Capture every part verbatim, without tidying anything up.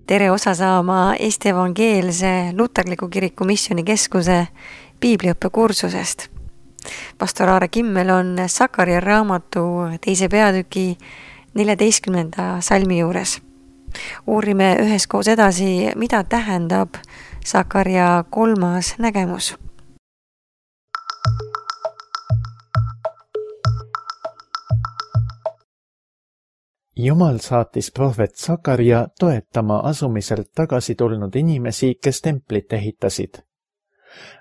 tere osa saama Eesti Evangeelse Luterliku Kiriku Missioonikeskuse piibliõppekursusest. Pastor Aare Kimmel on Sakaria raamatu teise peatüki neljateistkümnenda salmi juures. Uurime üheskoos edasi, mida tähendab Sakaria kolmas nägemus. Jumal saatis prohvet Sakaria toetama asumiselt tagasi tulnud inimesi, kes templit ehitasid.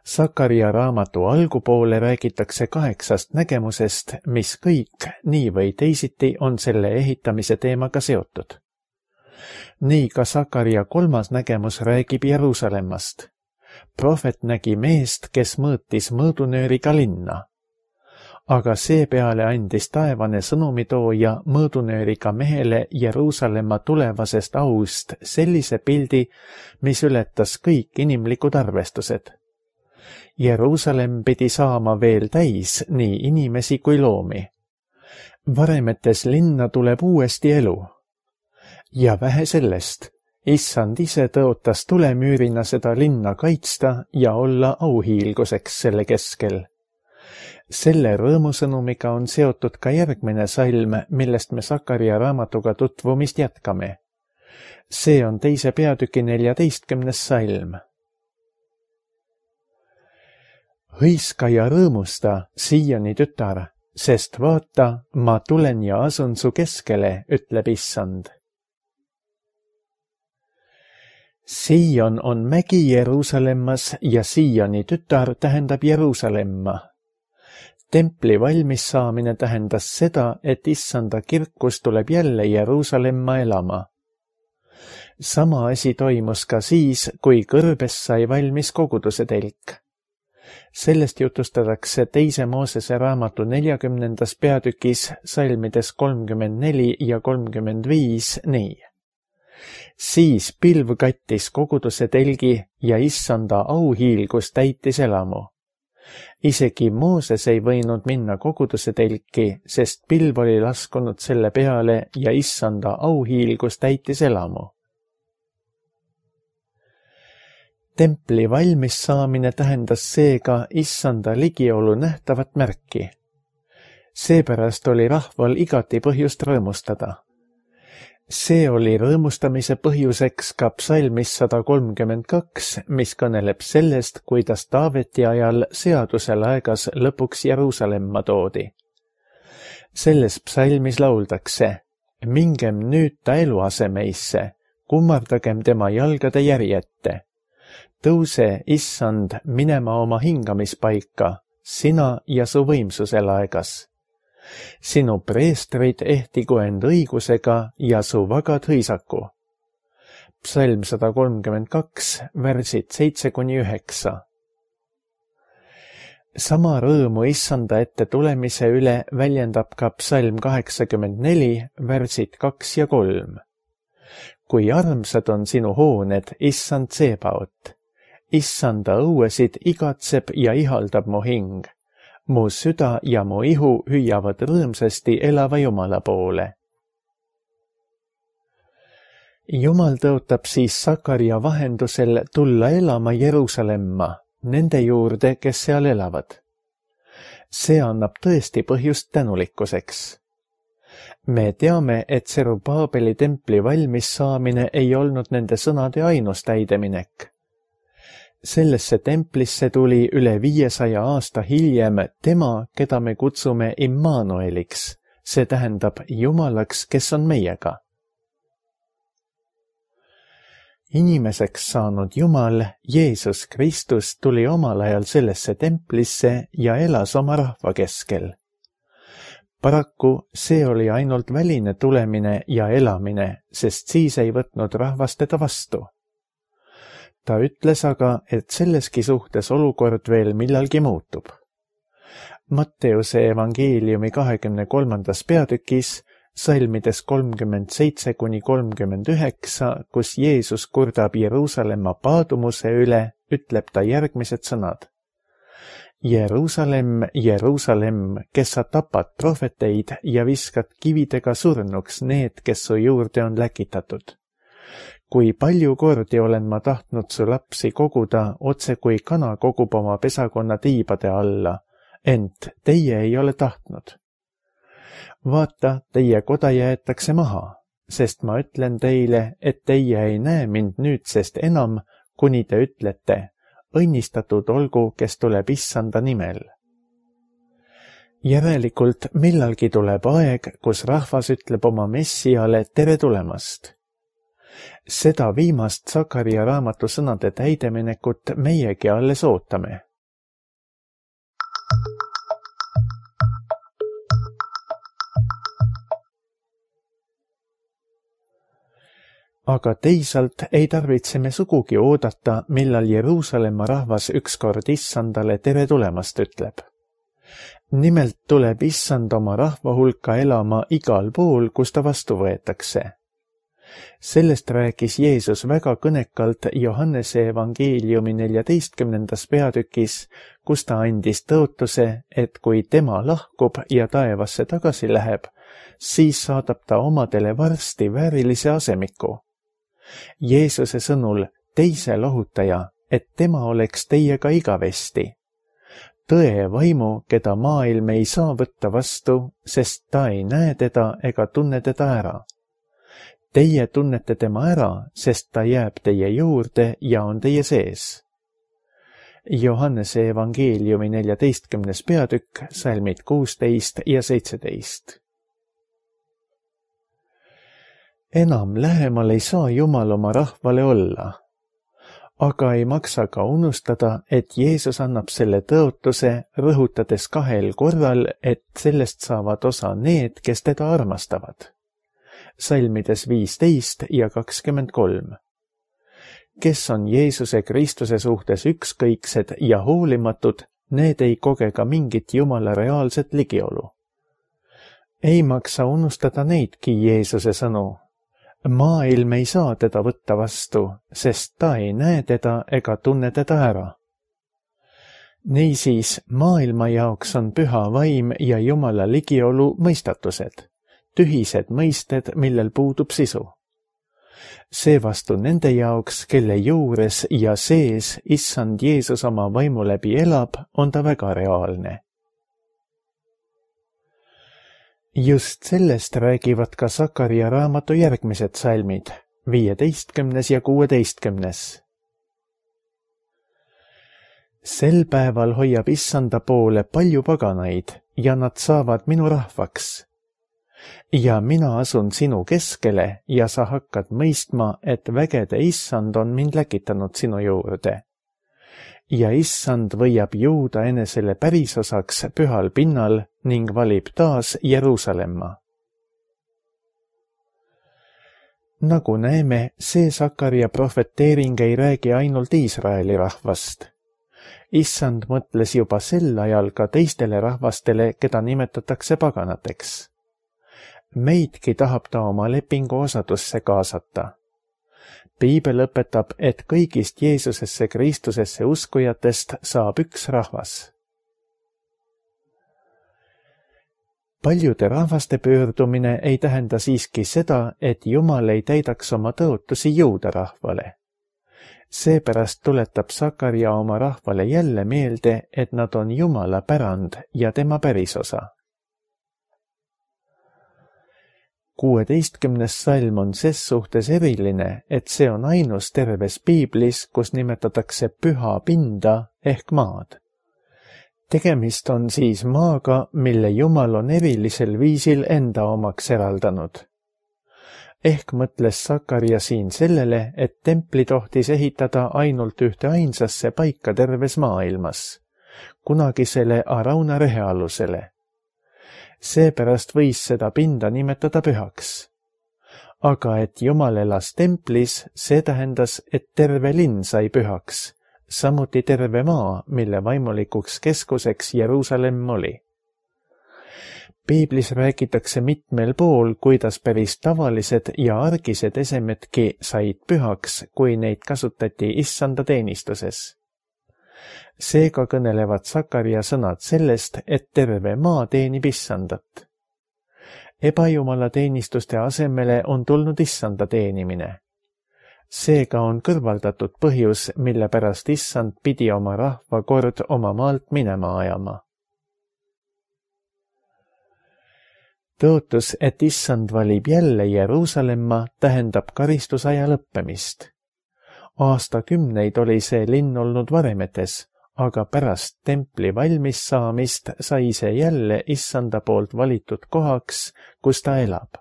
Sakaria raamatu algupoole räägitakse kaheksast nägemusest, mis kõik nii või teisiti on selle ehitamise teemaga seotud. Nii ka Sakaria kolmas nägemus räägib Jeruusalemmast. Prohvet nägi meest, kes mõõtis mõõdunööriga linna. Aga seepeale andis taevane sõnumitooja mõõdunööriga mehele Jeruusalemma tulevasest aust sellise pildi, mis ületas kõik inimlikud arvestused. Jeruusalemm pidi saama veel täis nii inimesi kui loomi. Varemetes linna tuleb uuesti elu. Ja vähe sellest, Issand ise tõotas tulemüürina seda linna kaitsta ja olla auhiilguseks selle keskel. Selle rõõmusõnumiga on seotud ka järgmine salm, millest me Sakaria raamatuga tutvumist jätkame. See on teise peatüki neljateistkümnes salm. Hõiska ja rõõmusta, Sioni tütar, sest vaata, ma tulen ja asun su keskele, ütleb Issand. Sion on mägi Jeruusalemmas ja Sioni tütar tähendab Jeruusalemma. Templi valmis saamine tähendas seda, et Issanda kirkus tuleb jälle Jeruusalemma elama. Sama asi toimus ka siis, kui kõrbes sai valmis koguduse telk. Sellest jutustatakse teise Moosese raamatu neljakümnendas peatükis salmides kolmkümmend neli ja kolmkümmend viis nii. Siis pilv kattis koguduse telgi ja Issanda auhiilgus täitis elamu. Isegi Mooses ei võinud minna koguduse telki, sest pilv oli laskunud selle peale ja Issanda auhiilgus täitis elamu. Templi valmis saamine tähendas seega Issanda ligiolu nähtavat märki. Seepärast oli rahval igati põhjust rõõmustada. See oli rõõmustamise põhjuseks ka psalmis sada kolmkümmend kaks, mis kõneleb sellest, kuidas Taaveti ajal seaduse laegas lõpuks Jeruusalemma toodi. Selles psalmis lauldakse, mingem nüüd ta eluasemeisse, kummardagem tema jalgade järjette. Tõuse, Issand, minema oma hingamispaika, sina ja su võimsuse laegas. Sinu preestrid ehtigu end õigusega ja su vagad hõisaku. Psalm sada kolmkümmend kaks, värsid seitse kuni üheksa. Sama rõõmu Issanda ette tulemise üle väljendab ka psalm kaheksakümmend neli, värsid kaks ja kolm. Kui armsad on sinu hooned, Issand Sebaot. Issanda õuesid igatseb ja ihaldab mu hing. Mu süda ja mu ihu hüüavad rõõmsasti elava Jumala poole. Jumal tõotab siis Sakaria vahendusel tulla elama Jeruusalemma, nende juurde, kes seal elavad. See annab tõesti põhjust tänulikkuseks. Me teame, et Serubaabeli templi valmis saamine ei olnud nende sõnade ainus täideminek. Sellesse templisse tuli üle viiesaja aasta hiljem tema, keda me kutsume Immanueliks, see tähendab Jumalaks, kes on meiega. Inimeseks saanud Jumal, Jeesus Kristus, tuli omal ajal sellesse templisse ja elas oma rahva keskel. Paraku see oli ainult väline tulemine ja elamine, sest siis ei võtnud rahvas teda vastu. Ta ütles aga, et selleski suhtes olukord veel millalgi muutub. Matteuse evangeeliumi kahekümne kolmandas peatükis, salmides kolmkümmend seitse kuni kolmkümmend üheksa, kus Jeesus kurdab Jeruusalemma paadumuse üle, ütleb ta järgmised sõnad. Jeruusalemm, Jeruusalemm, kes sa tapad prohveteid ja viskad kividega surnuks need, kes su juurde on läkitatud. kui palju kordi olen ma tahtnud su lapsi koguda, otse kui kana kogub oma pesakonna tiibade alla, ent teie ei ole tahtnud. Vaata, teie koda jäetakse maha, sest ma ütlen teile, et teie ei näe mind nüüdsest enam, kuni te ütlete, õnnistatud olgu, kes tuleb issanda nimel. Järelikult millalgi tuleb aeg, kus rahvas ütleb oma messiale tere tulemast. Seda viimast Sakaria raamatu sõnade täideminekut meiegi alles ootame. Aga teisalt ei tarvitse me sugugi oodata, millal Jeruusalemma rahvas ükskord issandale tere tulemast ütleb. Nimelt tuleb issand oma rahva hulka elama igal pool, kus ta vastu võetakse. Sellest rääkis Jeesus väga kõnekalt Johannese evangeeliumi neljateistkümnendas peatükis, kus ta andis tõotuse, et kui tema lahkub ja taevasse tagasi läheb, siis saadab ta omadele varsti väärilise asemiku. Jeesuse sõnul teise lohutaja, et tema oleks teiega igavesti. Tõe vaimu, keda maailm ei saa võtta vastu, sest ta ei näe teda ega tunne teda ära. Teie tunnete tema ära, sest ta jääb teie juurde ja on teie sees. Johannese evangeeliumi neljateistkümnes peatükk, salmid kuusteist ja seitseteist. Enam lähemal ei saa Jumal oma rahvale olla, aga ei maksa ka unustada, et Jeesus annab selle tõotuse, rõhutades kahel korral, et sellest saavad osa need, kes teda armastavad. Salmides viisteist ja kakskümmend kolm. Kes on Jeesuse Kristuse suhtes ükskõiksed ja hoolimatud, need ei koge ka mingit Jumala reaalset ligiolu. Ei maksa unustada neidki Jeesuse sõnu. Maailm ei saa teda võtta vastu, sest ta ei näe teda ega tunne teda ära. Niisiis, maailma jaoks on püha vaim ja Jumala ligiolu mõistatused, tühised mõisted, millel puudub sisu. Seevastu nende jaoks, kelle juures ja sees issand Jeesus oma vaimu läbi elab, on ta väga reaalne. Just sellest räägivad ka Sakaria raamatu järgmised salmid, viieteistkümnes ja kuueteistkümnes. Sel päeval hoiab issanda poole palju paganaid ja nad saavad minu rahvaks. Ja mina asun sinu keskele ja sa hakkad mõistma, et vägede issand on mind läkitanud sinu juurde. Ja issand võiab jõuda enesele pärisosaks pühal pinnal ning valib taas Jeruusalemma. Nagu näeme, see Sakaria prohveteering ei räägi ainult Iisraeli rahvast. Issand mõtles juba sel ajal ka teistele rahvastele, keda nimetatakse paganateks. Meidki tahab ta oma lepingu osadusse kaasata. Piibel õpetab, et kõigist Jeesusesse Kristusesse uskujatest saab üks rahvas. Paljude rahvaste pöördumine ei tähenda siiski seda, et Jumal ei täidaks oma tõotusi juuda rahvale. Seepärast tuletab Sakaria oma rahvale jälle meelde, et nad on Jumala pärand ja tema pärisosa. Kuueteistkümnes salm on ses suhtes eriline, et see on ainus terves piiblis, kus nimetatakse püha pinda ehk maad. Tegemist on siis maaga, mille Jumal on erilisel viisil enda omaks eraldanud. Ehk mõtles Sakaria siin sellele, et templi tohtis ehitada ainult ühte ainsasse paika terves maailmas, kunagisele Arauna rehealusele. Seepärast võis seda pinda nimetada pühaks. Aga et Jumal elas templis, see tähendas, et terve linn sai pühaks, samuti terve maa, mille vaimulikuks keskuseks Jeruusalemm oli. Piiblis räägitakse mitmel pool, kuidas päris tavalised ja argised esemedki said pühaks, kui neid kasutati issanda teenistuses. Seega kõnelevad Sakaria sõnad sellest, et terve maa teenib issandat. Ebajumala teenistuste asemele on tulnud issanda teenimine. Seega on kõrvaldatud põhjus, mille pärast issand pidi oma rahva kord oma maalt minema ajama. Tõotus, et issand valib jälle Jeruusalemma, tähendab karistusaja lõppemist. Aastakümneid oli see linn olnud varemetes, aga pärast templi valmis saamist sai see jälle issanda poolt valitud kohaks, kus ta elab.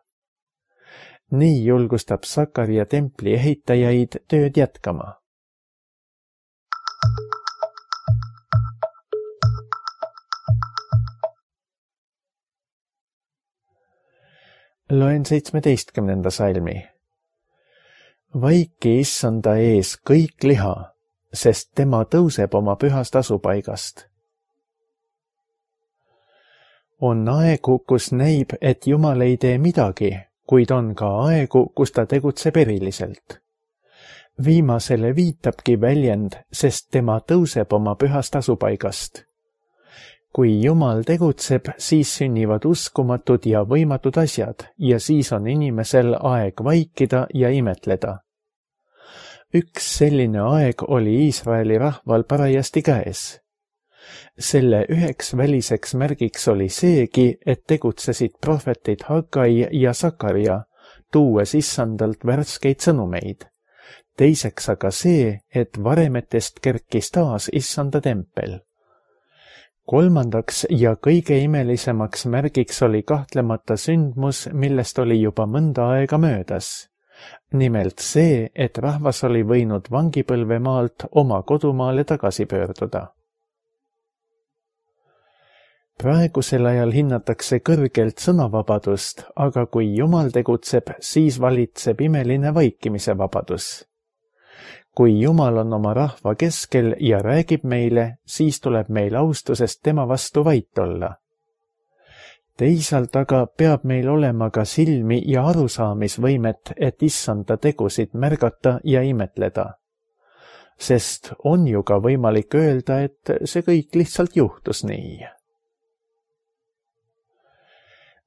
Nii julgustab Sakaria templi ehitajaid tööd jätkama. Loen seitsmeteistkümnenda salmi. Vaiki issanda ees kõik liha, sest tema tõuseb oma pühast asupaigast. On aegu, kus näib, et Jumal ei tee midagi, kuid on ka aegu, kus ta tegutseb eriliselt. Viimasele viitabki väljend, sest tema tõuseb oma pühast asupaigast. Kui Jumal tegutseb, siis sünnivad uskumatud ja võimatud asjad ja siis on inimesel aeg vaikida ja imetleda. Üks selline aeg oli Iisraeli rahval parajasti käes. Selle üheks väliseks märgiks oli seegi, et tegutsesid prohvetid Hagai ja Sakaria, tuues issandalt värskeid sõnumeid. Teiseks aga see, et varemetest kerkis taas issanda tempel. Kolmandaks ja kõige imelisemaks märgiks oli kahtlemata sündmus, millest oli juba mõnda aega möödas. Nimelt see, et rahvas oli võinud vangipõlvemaalt oma kodumaale tagasi pöörduda. Praegusel ajal hinnatakse kõrgelt sõnavabadust, aga kui Jumal tegutseb, siis valitseb imeline vaikimise vabadus. Kui Jumal on oma rahva keskel ja räägib meile, siis tuleb meil austusest tema vastu vait olla. Teisalt aga peab meil olema ka silmi ja arusaamisvõimet, et issanda tegusid märgata ja imetleda. Sest on ju ka võimalik öelda, et see kõik lihtsalt juhtus nii.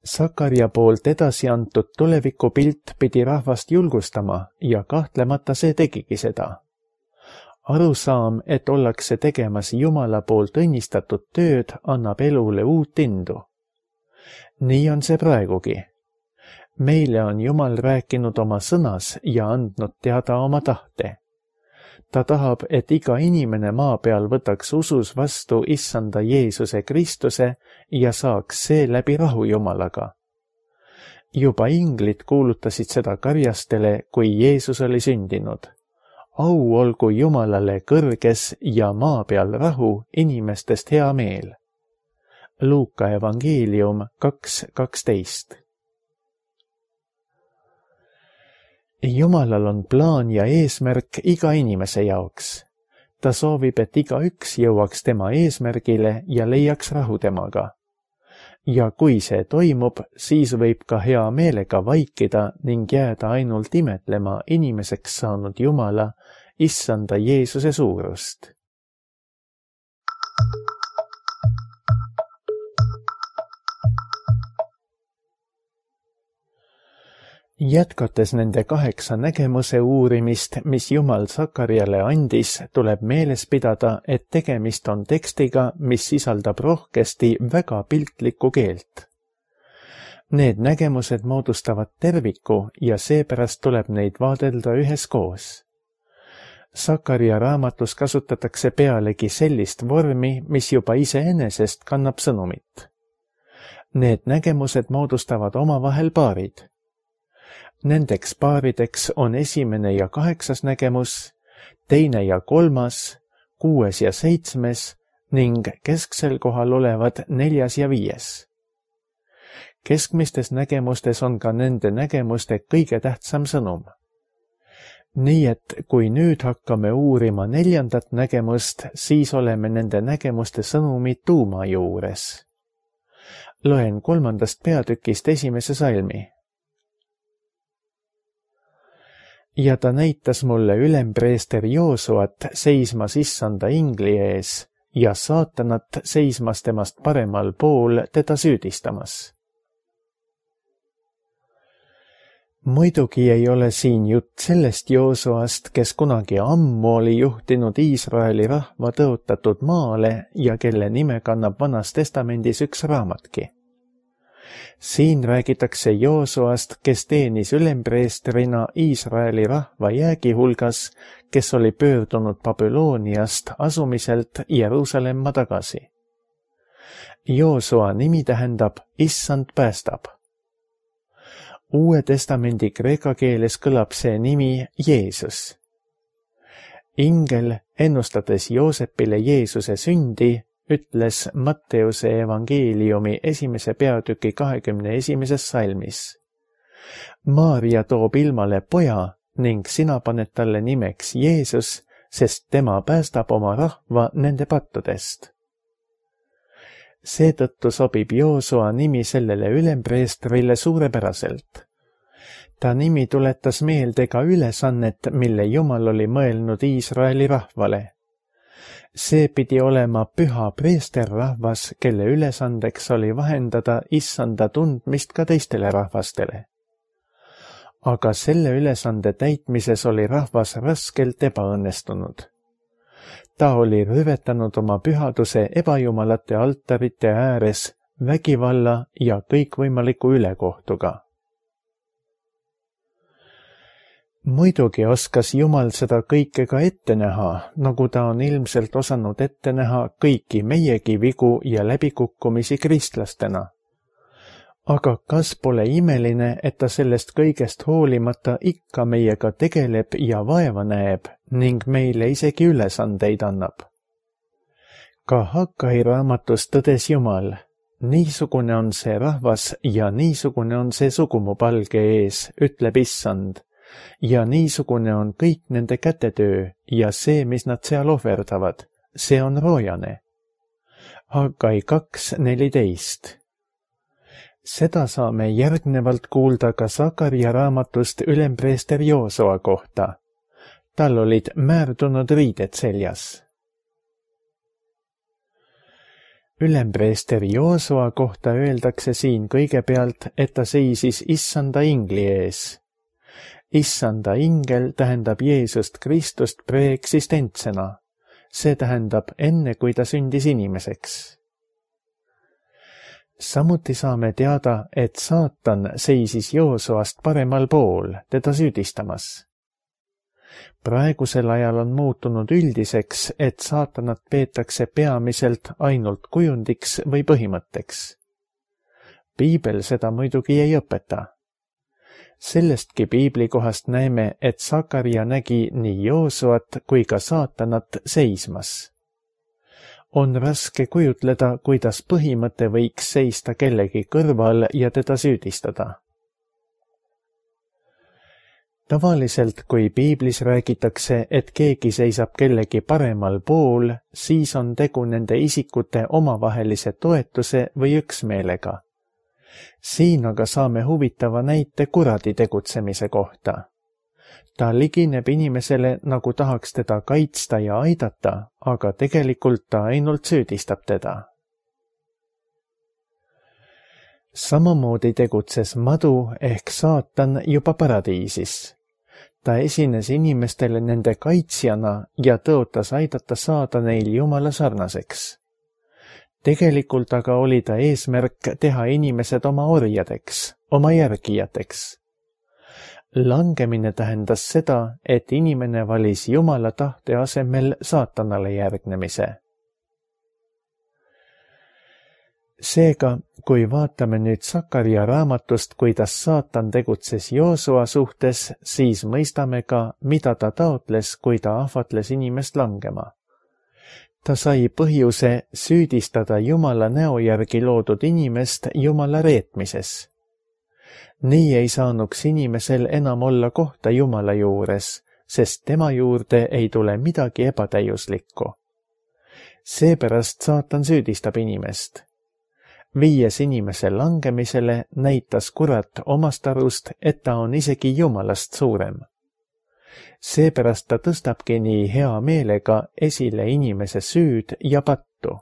Sakaria poolt edasi antud tulevikupilt pidi rahvast julgustama ja kahtlemata see tegigi seda. Arusaam, et ollakse tegemas Jumala poolt õnnistatud tööd, annab elule uut indu. Nii on see praegugi. Meile on Jumal rääkinud oma sõnas ja andnud teada oma tahte. Ta tahab, et iga inimene maa peal võtaks usus vastu issanda Jeesuse Kristuse ja saaks seeläbi rahu Jumalaga. Juba inglid kuulutasid seda karjastele, kui Jeesus oli sündinud. Au olgu Jumalale kõrges ja maa peal rahu, inimestest hea meel. Luuka evangeelium kaks kaksteist. Jumalal on plaan ja eesmärk iga inimese jaoks. Ta soovib, et iga üks jõuaks tema eesmärgile ja leiaks rahu temaga. Ja kui see toimub, siis võib ka hea meelega vaikida ning jääda ainult imetlema inimeseks saanud Jumala, issanda Jeesuse suurust. Jätkates nende kaheksa nägemuse uurimist, mis Jumal Sakariale andis, tuleb meeles pidada, et tegemist on tekstiga, mis sisaldab rohkesti väga piltlikku keelt. Need nägemused moodustavad terviku ja seepärast tuleb neid vaadelda üheskoos. Sakaria raamatus kasutatakse pealegi sellist vormi, mis juba iseenesest kannab sõnumit. Need nägemused moodustavad omavahel paarid. Nendeks paarideks on esimene ja kaheksas nägemus, teine ja kolmas, kuues ja seitsmes ning kesksel kohal olevad neljas ja viies. Keskmistes nägemustes on ka nende nägemuste kõige tähtsam sõnum. Nii et kui nüüd hakkame uurima neljandat nägemust, siis oleme nende nägemuste sõnumi tuuma juures. Loen kolmandast peatükist esimese salmi. Ja ta näitas mulle ülempreester Joosuat seismas issanda ingli ees ja saatanat seismas temast paremal pool teda süüdistamas. Muidugi ei ole siin jutt sellest Joosuast, kes kunagi ammu oli juhtinud Iisraeli rahva tõotatud maale ja kelle nime kannab Vanas Testamendis üks raamatki. Siin räägitakse Joosuast, kes teenis ülempreestrina Iisraeli rahva jäägi hulgas, kes oli pöördunud Babyloniast asumiselt Jeruusalemma tagasi. Joosua nimi tähendab Issand päästab. Uue testamendi kreeka keeles kõlab see nimi Jeesus. Ingel, ennustades Joosepile Jeesuse sündi, ütles Matteuse evangeeliumi esimese peatüki kahekümne esimeses salmis. Maarja toob ilmale poja ning sina paned talle nimeks Jeesus, sest tema päästab oma rahva nende pattudest. Seetõttu sobib Joosua nimi sellele ülempreestrile suurepäraselt. Ta nimi tuletas meelde ka ülesannet, mille Jumal oli mõelnud Iisraeli rahvale. See pidi olema püha preesterrahvas, kelle ülesandeks oli vahendada issanda tundmist ka teistele rahvastele. Aga selle ülesande täitmises oli rahvas raskelt ebaõnnestunud. Ta oli rüvetanud oma pühaduse ebajumalate altarite ääres vägivalla ja kõikvõimaliku ülekohtuga. Muidugi oskas Jumal seda kõike ka ette näha, nagu ta on ilmselt osanud ette näha kõiki meiegi vigu ja läbikukkumisi kristlastena. Aga kas pole imeline, et ta sellest kõigest hoolimata ikka meiega tegeleb ja vaeva näeb ning meile isegi ülesandeid annab? Ka Hakkai raamatus tõdes Jumal, niisugune on see rahvas ja niisugune on see sugu mu palge ees, ütleb Issand. Ja niisugune on kõik nende kätetöö ja see, mis nad seal ohverdavad, see on roojane. Hakkai kaks neliteist. Seda saame järgnevalt kuulda ka Sakaria raamatust ülempreester Joosua kohta. Tal olid määrdunud riided seljas. Ülempreester Joosua kohta öeldakse siin kõigepealt, et ta seisis issanda ingli ees. Issanda ingel tähendab Jeesust Kristust preeksistentsena. See tähendab enne, kui ta sündis inimeseks. Samuti saame teada, et saatan seisis Joosuast paremal pool, teda süüdistamas. Praegusel ajal on muutunud üldiseks, et saatanat peetakse peamiselt ainult kujundiks või põhimõtteks. Piibel seda muidugi ei õpeta. Sellestki piiblikohast näeme, et Sakaria nägi nii Joosuat kui ka saatanat seismas. On raske kujutleda, kuidas põhimõte võiks seista kellegi kõrval ja teda süüdistada. Tavaliselt, kui piiblis räägitakse, et keegi seisab kellegi paremal pool, siis on tegu nende isikute omavahelise toetuse või üksmeelega. Siin aga saame huvitava näite kuradi tegutsemise kohta. Ta ligineb inimesele, nagu tahaks teda kaitsta ja aidata, aga tegelikult ta ainult süüdistab teda. Samamoodi tegutses madu ehk saatan juba paradiisis. Ta esines inimestele nende kaitsjana ja tõotas aidata saada neil Jumala sarnaseks. Tegelikult aga oli ta eesmärk teha inimesed oma orjadeks, oma järgijateks. Langemine tähendas seda, et inimene valis Jumala tahte asemel saatanale järgnemise. Seega, kui vaatame nüüd Sakaria raamatust, kuidas saatan tegutses Joosua suhtes, siis mõistame ka, mida ta taotles, kui ta ahvatles inimest langema. Ta sai põhjuse süüdistada Jumala näo järgi loodud inimest Jumala reetmises. Nii ei saanuks inimesel enam olla kohta Jumala juures, sest tema juurde ei tule midagi ebatäiuslikku. Seepärast saatan süüdistab inimest. Viies inimese langemisele näitas kurat omast arust, et ta on isegi Jumalast suurem. Seepärast ta tõstabki nii hea meelega esile inimese süüd ja pattu.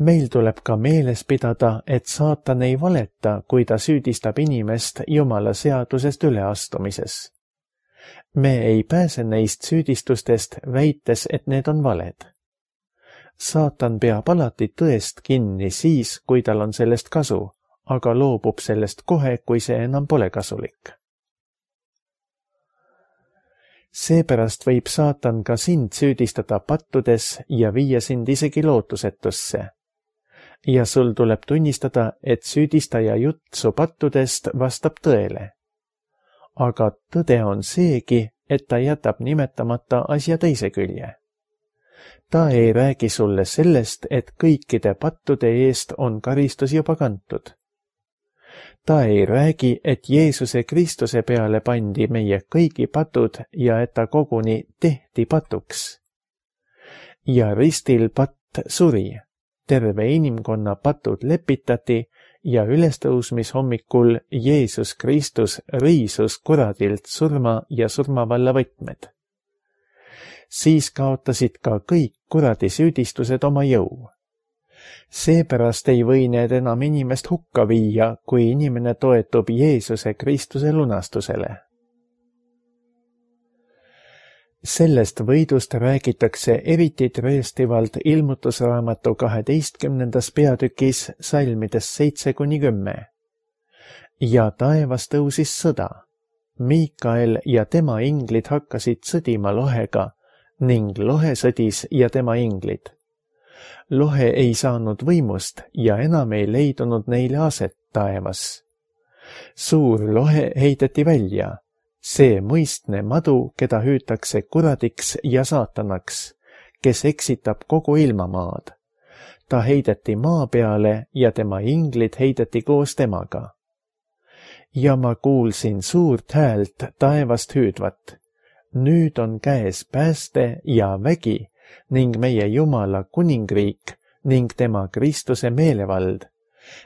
meil tuleb ka meeles pidada, et saatan ei valeta, kui ta süüdistab inimest Jumala seadusest üleastumises. Me ei pääse neist süüdistustest, väites, et need on valed. Saatan peab alati tõest kinni siis, kui tal on sellest kasu, aga loobub sellest kohe, kui see enam pole kasulik. Seepärast võib saatan ka sind süüdistada pattudes ja viia sind isegi lootusetusse. Ja sul tuleb tunnistada, et süüdistaja jutt su pattudest vastab tõele. Aga tõde on seegi, et ta jätab nimetamata asja teise külje. Ta ei räägi sulle sellest, et kõikide pattude eest on karistus juba kantud. Ta ei räägi, et Jeesuse Kristuse peale pandi meie kõigi patud ja et ta koguni tehti patuks. Ja ristil patt suri, terve inimkonna patud lepitati ja ülestõusmishommikul Jeesus Kristus riisus kuradilt surma ja surmavalla võtmed. Siis kaotasid ka kõik kuradi süüdistused oma jõu. Seepärast ei või need enam inimest hukka viia, kui inimene toetub Jeesuse Kristuse lunastusele. Sellest võidust räägitakse eriti tõestivalt ilmutusraamatu kaheteistkümnendas peatükis salmides seitse kuni kümme. Ja taevas tõusis sõda. Miikael ja tema inglid hakkasid sõdima lohega ning lohe sõdis ja tema inglid. Lohe ei saanud võimust ja enam ei leidunud neile aset taevas. Suur lohe heideti välja, see mõistne madu, keda hüütakse kuradiks ja saatanaks, kes eksitab kogu ilmamaad. Ta heideti maa peale ja tema inglid heideti koos temaga. Ja ma kuulsin suurt häält taevast hüüdvat. Nüüd on käes pääste ja vägi ning meie Jumala kuningriik ning tema Kristuse meelevald,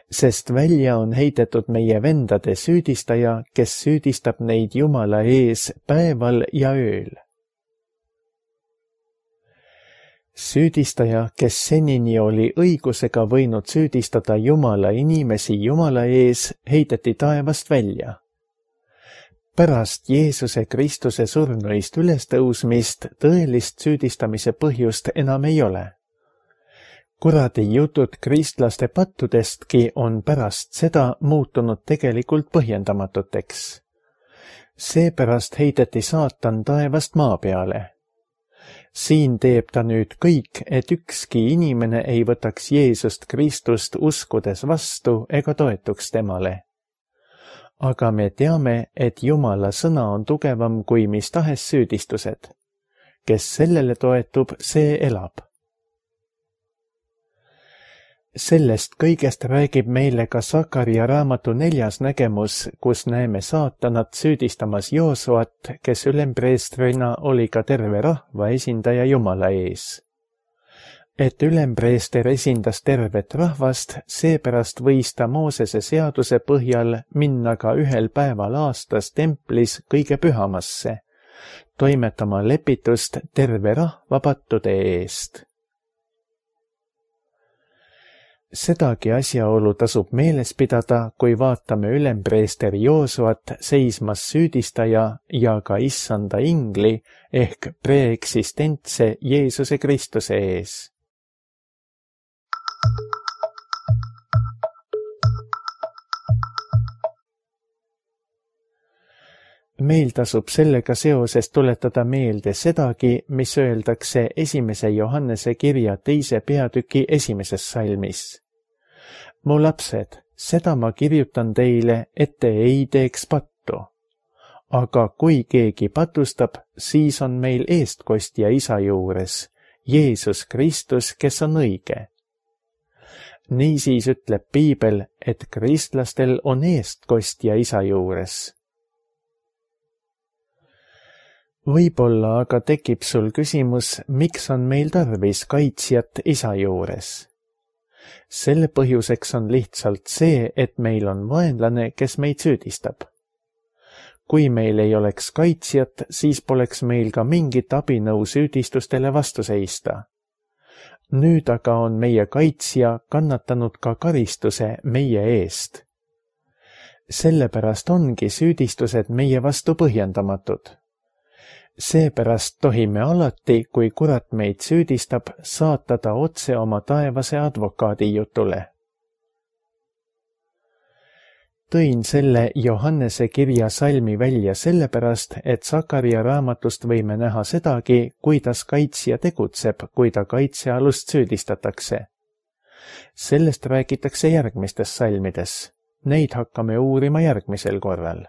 sest välja on heidetud meie vendade süüdistaja, kes süüdistab neid Jumala ees päeval ja ööl. Süüdistaja, kes senini oli õigusega võinud süüdistada Jumala inimesi Jumala ees, heideti taevast välja. Pärast Jeesuse Kristuse surnuist ülestõusmist tõelist süüdistamise põhjust enam ei ole. Kuradi jutud kristlaste pattudestki on pärast seda muutunud tegelikult põhjendamatuteks. Seepärast heideti saatan taevast maa peale. Siin teeb ta nüüd kõik, et ükski inimene ei võtaks Jeesust Kristust uskudes vastu ega toetuks temale. Aga me teame, et Jumala sõna on tugevam kui mis tahes süüdistused. Kes sellele toetub, see elab. Sellest kõigest räägib meile ka Sakaria raamatu neljas nägemus, kus näeme saatanat süüdistamas Joosuat, kes ülempreestrina oli ka terve rahva esindaja Jumala ees. Et ülempreester esindas tervet rahvast, seepärast võis ta Moosese seaduse põhjal minna ka ühel päeval aastas templis kõige pühamasse, toimetama lepitust terve rahva pattude eest. Sedagi asjaolu tasub meeles pidada, kui vaatame ülempreester Joosuat seismas süüdistaja ja ka issanda ingli ehk preeksistentse Jeesuse Kristuse ees. Meil tasub sellega seoses tuletada meelde sedagi, mis öeldakse esimese Johannese kirja teise peatüki esimeses salmis. Mu lapsed, seda ma kirjutan teile, et te ei teeks pattu. Aga kui keegi patustab, siis on meil eestkostja isa juures, Jeesus Kristus, kes on õige. Niisiis ütleb Piibel, et kristlastel on eestkostja isa juures. Võib-olla aga tekib sul küsimus, miks on meil tarvis kaitsjat isa juures. Selle põhjuseks on lihtsalt see, et meil on vaenlane, kes meid süüdistab. Kui meil ei oleks kaitsjat, siis poleks meil ka mingit abinõu süüdistustele vastu seista. Nüüd aga on meie kaitsja kannatanud ka karistuse meie eest. Sellepärast ongi süüdistused meie vastu põhjendamatud. Seepärast tohime alati, kui kurat meid süüdistab, saata ta otse oma taevase advokaadi jutule. Tõin selle Johannese kirja salmi välja sellepärast, et Sakaria raamatust võime näha sedagi, kuidas kaitsja tegutseb, kui ta kaitsealust süüdistatakse. Sellest räägitakse järgmistes salmides. Neid hakkame uurima järgmisel korral.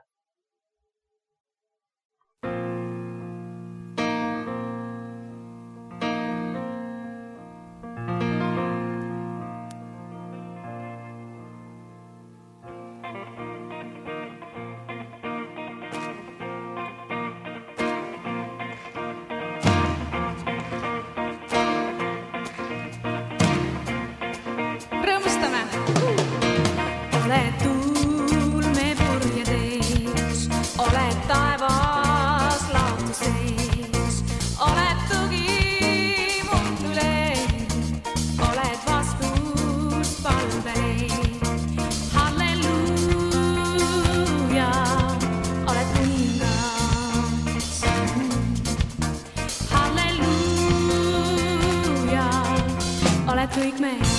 Kõik me